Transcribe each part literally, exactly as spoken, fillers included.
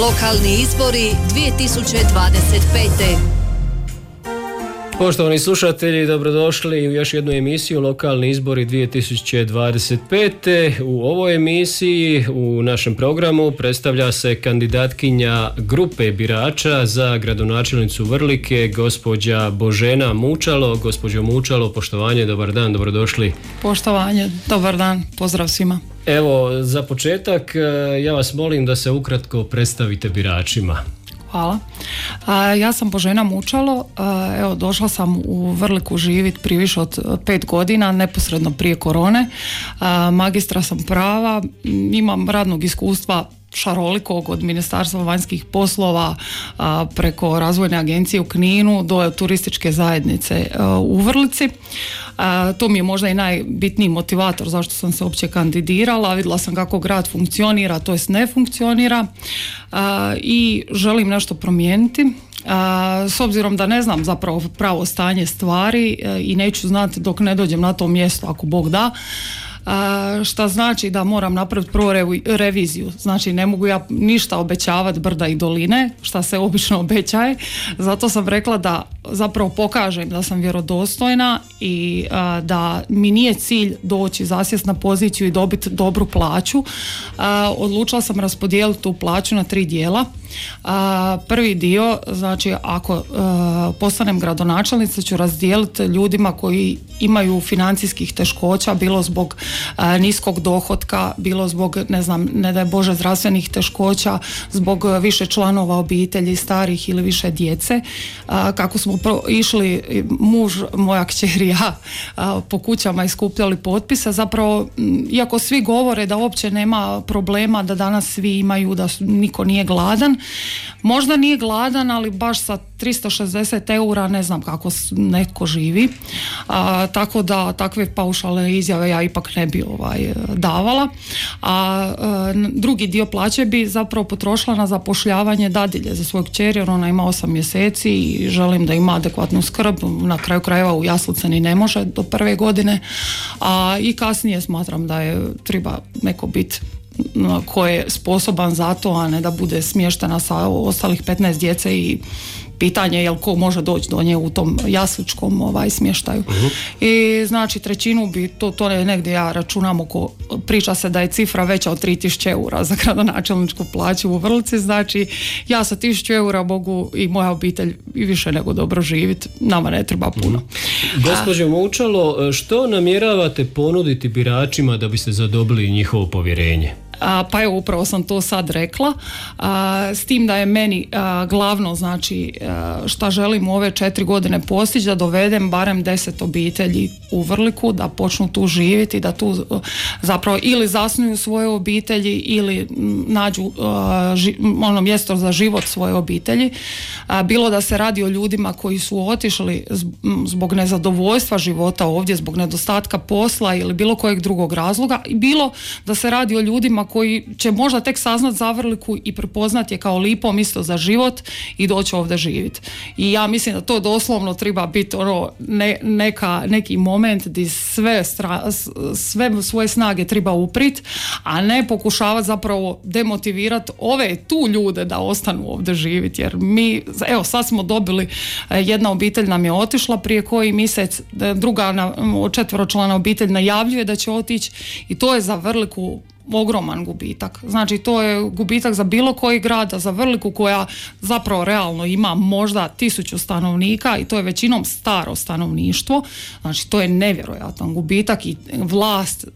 Lokalni izbori dvije tisuće dvadeset pete. Poštovani slušatelji, dobrodošli u još jednu emisiju Lokalni izbori dvije tisuće dvadeset pete. U ovoj emisiji, u našem programu, predstavlja se kandidatkinja grupe birača za gradonačelnicu Vrlike, gospođa Božena Mučalo. Gospođo Mučalo, poštovanje, dobar dan, dobrodošli. Poštovanje, dobar dan, pozdrav svima. Evo, za početak ja vas molim da se ukratko predstavite biračima. Hvala. A, ja sam Božena Mučalo, a, evo došla sam u Vrliku živjeti prije više od pet godina, neposredno prije korone. A, magistra sam prava, imam radnog iskustva šarolikog od Ministarstva vanjskih poslova a, preko razvojne agencije u Kninu do turističke zajednice a, u Vrlici. A, to mi je možda i najbitniji motivator zašto sam se uopće kandidirala. Vidjela sam kako grad funkcionira, to jest ne funkcionira a, i želim nešto promijeniti. A, s obzirom da ne znam zapravo pravo stanje stvari a, i neću znati dok ne dođem na to mjesto ako Bog da. Uh, šta znači da moram napraviti prvo revi, reviziju. Znači ne mogu ja ništa obećavati brda i doline, šta se obično obećaje. Zato sam rekla da zapravo pokažem da sam vjerodostojna i uh, da mi nije cilj doći zasjest na poziciju i dobiti dobru plaću. Uh, odlučila sam raspodijeliti tu plaću na tri dijela. Uh, prvi dio, znači ako uh, postanem gradonačelnica, ću razdijeliti ljudima koji imaju financijskih teškoća, bilo zbog uh, niskog dohotka, bilo zbog, ne znam, ne daj Bože, zdravstvenih teškoća, zbog više članova obitelji, starih ili više djece. Uh, kako smo pro- išli, muž, moja kćer i ja, uh, po kućama i skupljali potpise, zapravo, m, iako svi govore da uopće nema problema, da danas svi imaju, da su, niko nije gladan, možda nije gladan, ali baš sa tristo šezdeset eura ne znam kako netko živi. A, tako da takve paušalne izjave ja ipak ne bi ovaj, davala. A, a drugi dio plaće bi zapravo potrošila na zapošljavanje dadilje za svoju kćer, jer ona ima osam mjeseci i želim da ima adekvatnu skrb. Na kraju krajeva u jaslice ni ne može do prve godine. A i kasnije smatram da je treba neko biti ko je sposoban za to, a ne da bude smještena sa ostalih petnaest djece i pitanje je jel ko može doći do nje u tom jasličkom ovaj, smještaju. Uh-huh. I znači trećinu bi, to, to je negdje ja računam oko, priča se da je cifra veća od tri tisuće eura za gradonačelničku plaću u Vrlici, znači ja sa tisuću eura mogu i moja obitelj i više nego dobro živjeti, nama ne treba puno. Uh-huh. Gospođo Mučalo, što namjeravate ponuditi biračima da biste zadobili njihovo povjerenje? A, pa evo upravo sam to sad rekla, a, s tim da je meni a, glavno, znači a, šta želim u ove četiri godine postići, da dovedem barem deset obitelji u Vrliku, da počnu tu živjeti, da tu zapravo ili zasnuju svoje obitelji ili nađu a, ži, ono mjesto za život svoje obitelji. A, bilo da se radi o ljudima koji su otišli zbog nezadovoljstva života ovdje, zbog nedostatka posla ili bilo kojeg drugog razloga, i bilo da se radi o ljudima koji će možda tek saznat za Vrliku i prepoznat je kao lipo mjesto za život i doći ovdje živjeti. I ja mislim da to doslovno treba biti ono ne, neka, neki moment gdje sve, stra, sve svoje snage treba uprit, a ne pokušavati zapravo demotivirati ove tu ljude da ostanu ovdje živjeti. Jer mi, evo sad smo dobili, jedna obitelj nam je otišla prije koji mjesec, druga četveročlana obitelj najavljuje da će otići i to je za Vrliku ogroman gubitak. Znači to je gubitak za bilo koji grad, a za Vrliku koja zapravo realno ima možda tisuću stanovnika i to je većinom staro stanovništvo. Znači to je nevjerojatan gubitak i vlast,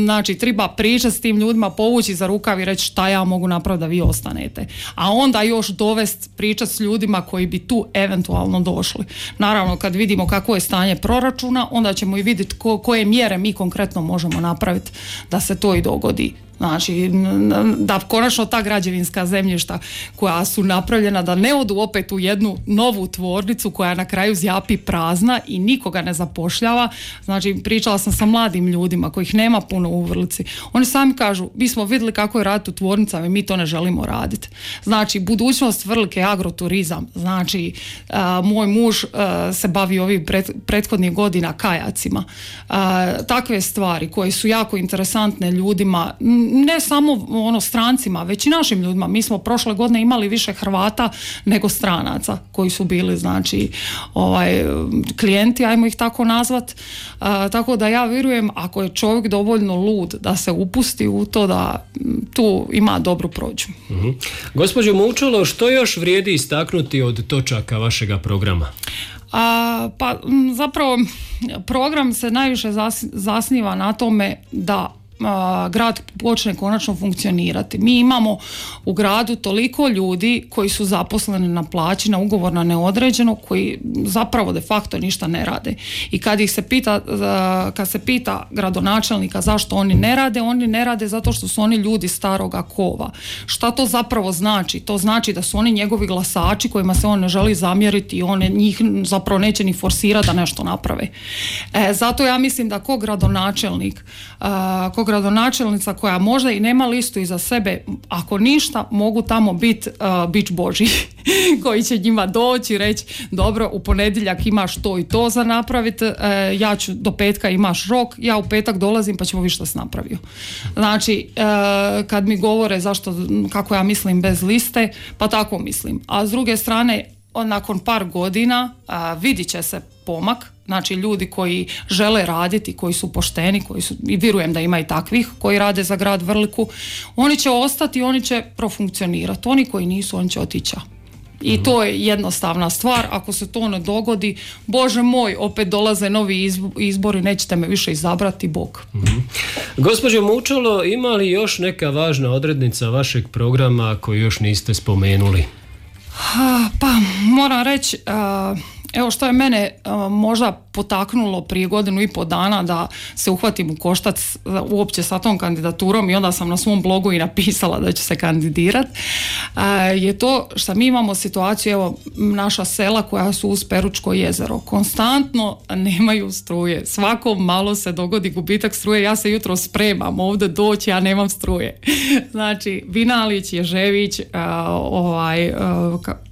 znači treba pričati s tim ljudima, povući za rukav i reći šta ja mogu napraviti da vi ostanete. A onda još dovesti pričati s ljudima koji bi tu eventualno došli. Naravno kad vidimo kako je stanje proračuna, onda ćemo i vidjeti ko, koje mjere mi konkretno možemo napraviti da se to i dogodi. Znači, da konačno ta građevinska zemljišta koja su napravljena da ne odu opet u jednu novu tvornicu koja na kraju zjapi prazna i nikoga ne zapošljava. Znači, pričala sam sa mladim ljudima kojih nema puno u Vrlici. Oni sami kažu, mi smo vidjeli kako je raditi u tvornicama i mi to ne želimo raditi. Znači, budućnost Vrlike je agroturizam. Znači, a, moj muž a, se bavi ovih pret, prethodnih godina kajacima. A, takve stvari koje su jako interesantne ljudima, ne samo ono strancima, već i našim ljudima. Mi smo prošle godine imali više Hrvata nego stranaca koji su bili znači ovaj, klijenti, ajmo ih tako nazvat. A, tako da ja vjerujem ako je čovjek dovoljno lud da se upusti u to da tu ima dobru prođu. Uh-huh. Gospođo Mučalo, što još vrijedi istaknuti od točaka vašega programa? A, pa zapravo program se najviše zasniva na tome da a, grad počne konačno funkcionirati. Mi imamo u gradu toliko ljudi koji su zaposleni na plaći, na ugovor na neodređeno, koji zapravo de facto ništa ne rade. I kad ih se pita, kad se pita gradonačelnika zašto oni ne rade, oni ne rade zato što su oni ljudi staroga kova. Šta to zapravo znači? To znači da su oni njegovi glasači kojima se on ne želi zamjeriti i on njih zapravo neće ni forsirati da nešto naprave. E, zato ja mislim da ko gradonačelnik, a, ko gradonačelnica koja možda i nema listu iza sebe, ako ništa mogu tamo biti uh, bić Božji koji će njima doći i reći dobro, u ponedjeljak imaš to i to za napraviti, uh, ja ću do petka imaš rok, ja u petak dolazim pa ćemo vidjeti što si napravio. Znači uh, kad mi govore zašto, kako ja mislim bez liste, pa tako mislim. A s druge strane nakon par godina uh, vidit će se pomak. Znači ljudi koji žele raditi, koji su pošteni, koji su, i vjerujem da ima i takvih koji rade za grad Vrliku, oni će ostati, oni će profunkcionirati. Oni koji nisu, oni će otići. I to je jednostavna stvar. Ako se to ne dogodi, Bože moj, opet dolaze novi izbori, nećete me više izabrati, Bog. Mm-hmm. Gospođo Mučalo, ima li još neka važna odrednica vašeg programa koju još niste spomenuli? Pa moram reći, evo što je mene možda potaknulo prije godinu i pol dana da se uhvatim u koštac uopće sa tom kandidaturom i onda sam na svom blogu i napisala da ću se kandidirati, je to što mi imamo situaciju, evo naša sela koja su uz Peručko jezero konstantno nemaju struje, svako malo se dogodi gubitak struje, ja se jutro spremam ovdje doći, ja nemam struje. Znači Vinalić, Ježević, ovaj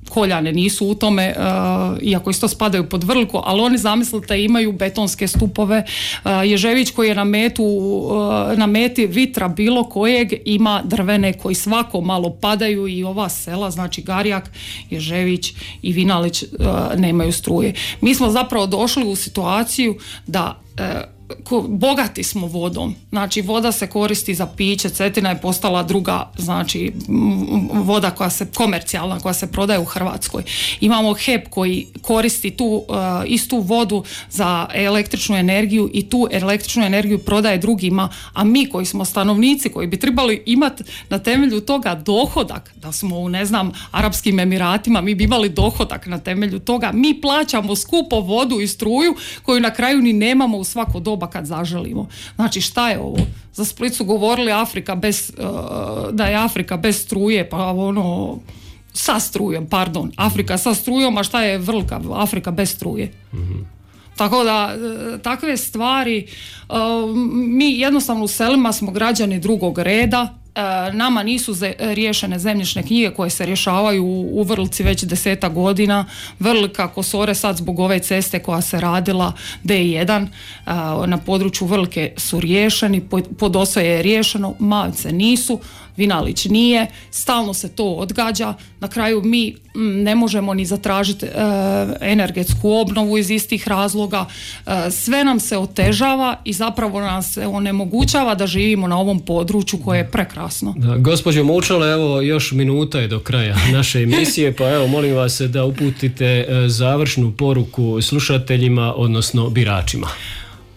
Koljane nisu u tome, uh, iako isto spadaju pod Vrliku, ali oni zamislite imaju betonske stupove. Uh, Ježević koji je na metu, uh, na meti vitra bilo kojeg ima drvene koji svako malo padaju i ova sela, znači Garjak, Ježević i Vinalić uh, nemaju struje. Mi smo zapravo došli u situaciju da uh, bogati smo vodom, znači voda se koristi za piće, Cetina je postala druga, znači voda koja se komercijalna, koja se prodaje u Hrvatskoj. Imamo H E P koji koristi tu uh, istu vodu za električnu energiju i tu električnu energiju prodaje drugima, a mi koji smo stanovnici, koji bi trebali imati na temelju toga dohodak, da smo u ne znam Arapskim Emiratima, mi bi imali dohodak na temelju toga, mi plaćamo skupo vodu i struju koju na kraju ni nemamo u svako doba kad zaželimo. Znači šta je ovo? Za Split su govorili Afrika bez, uh, da je Afrika bez struje, pa ono sa strujom, pardon, Afrika sa strujom, a šta je Vrlika? Afrika bez struje. Mm-hmm. Tako da takve stvari, uh, mi jednostavno u selima smo građani drugog reda. Nama nisu ze, riješene zemljišne knjige koje se rješavaju u, u Vrlici već deseta godina. Vrlika, Kosore sad zbog ove ceste koja se radila D jedan na području Vrlike su riješeni, Podosoje je riješeno, Mavce nisu, Vinalić nije, stalno se to odgađa, na kraju mi m, ne možemo ni zatražiti e, energetsku obnovu iz istih razloga, e, sve nam se otežava i zapravo nas se onemogućava da živimo na ovom području koje je prekrasno. Da, gospođo Mučalo, evo još minuta je do kraja naše emisije, pa evo molim vas da uputite završnu poruku slušateljima, odnosno biračima.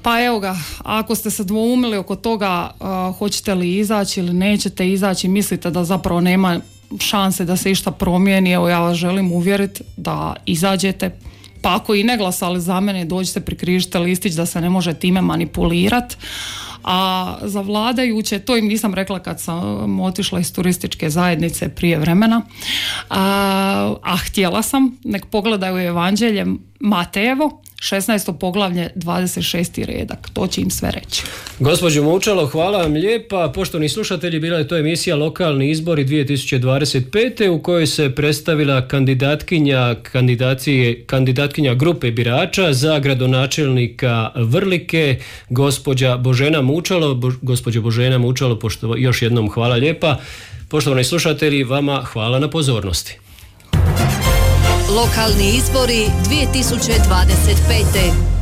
Pa evo ga, ako ste se dvoumili oko toga uh, hoćete li izaći ili nećete izaći, mislite da zapravo nema šanse da se išta promijeni, evo ja vas želim uvjeriti da izađete, pa ako i ne glasali za mene, dođite, prikrižite listić da se ne može time manipulirati. A za vladajuće, to im nisam rekla kad sam otišla iz turističke zajednice prije vremena, a, a htjela sam, nek pogledaju Evanđelje Matejevo, šesnaesto poglavlje, dvadeset šesti redak. To će im sve reći. Gospođo Mučalo, hvala vam lijepa. Poštovani slušatelji, bila je to emisija Lokalni izbori dvije tisuće dvadeset pete u kojoj se predstavila kandidatkinja, kandidacije, kandidatkinja grupe birača za gradonačelnika Vrlike, gospođa Božena Mučalo. Bo, gospođo Božena Mučalo, pošto, još jednom hvala lijepa. Poštovani slušatelji, vama hvala na pozornosti. Lokalni izbori dvije tisuće dvadeset pete.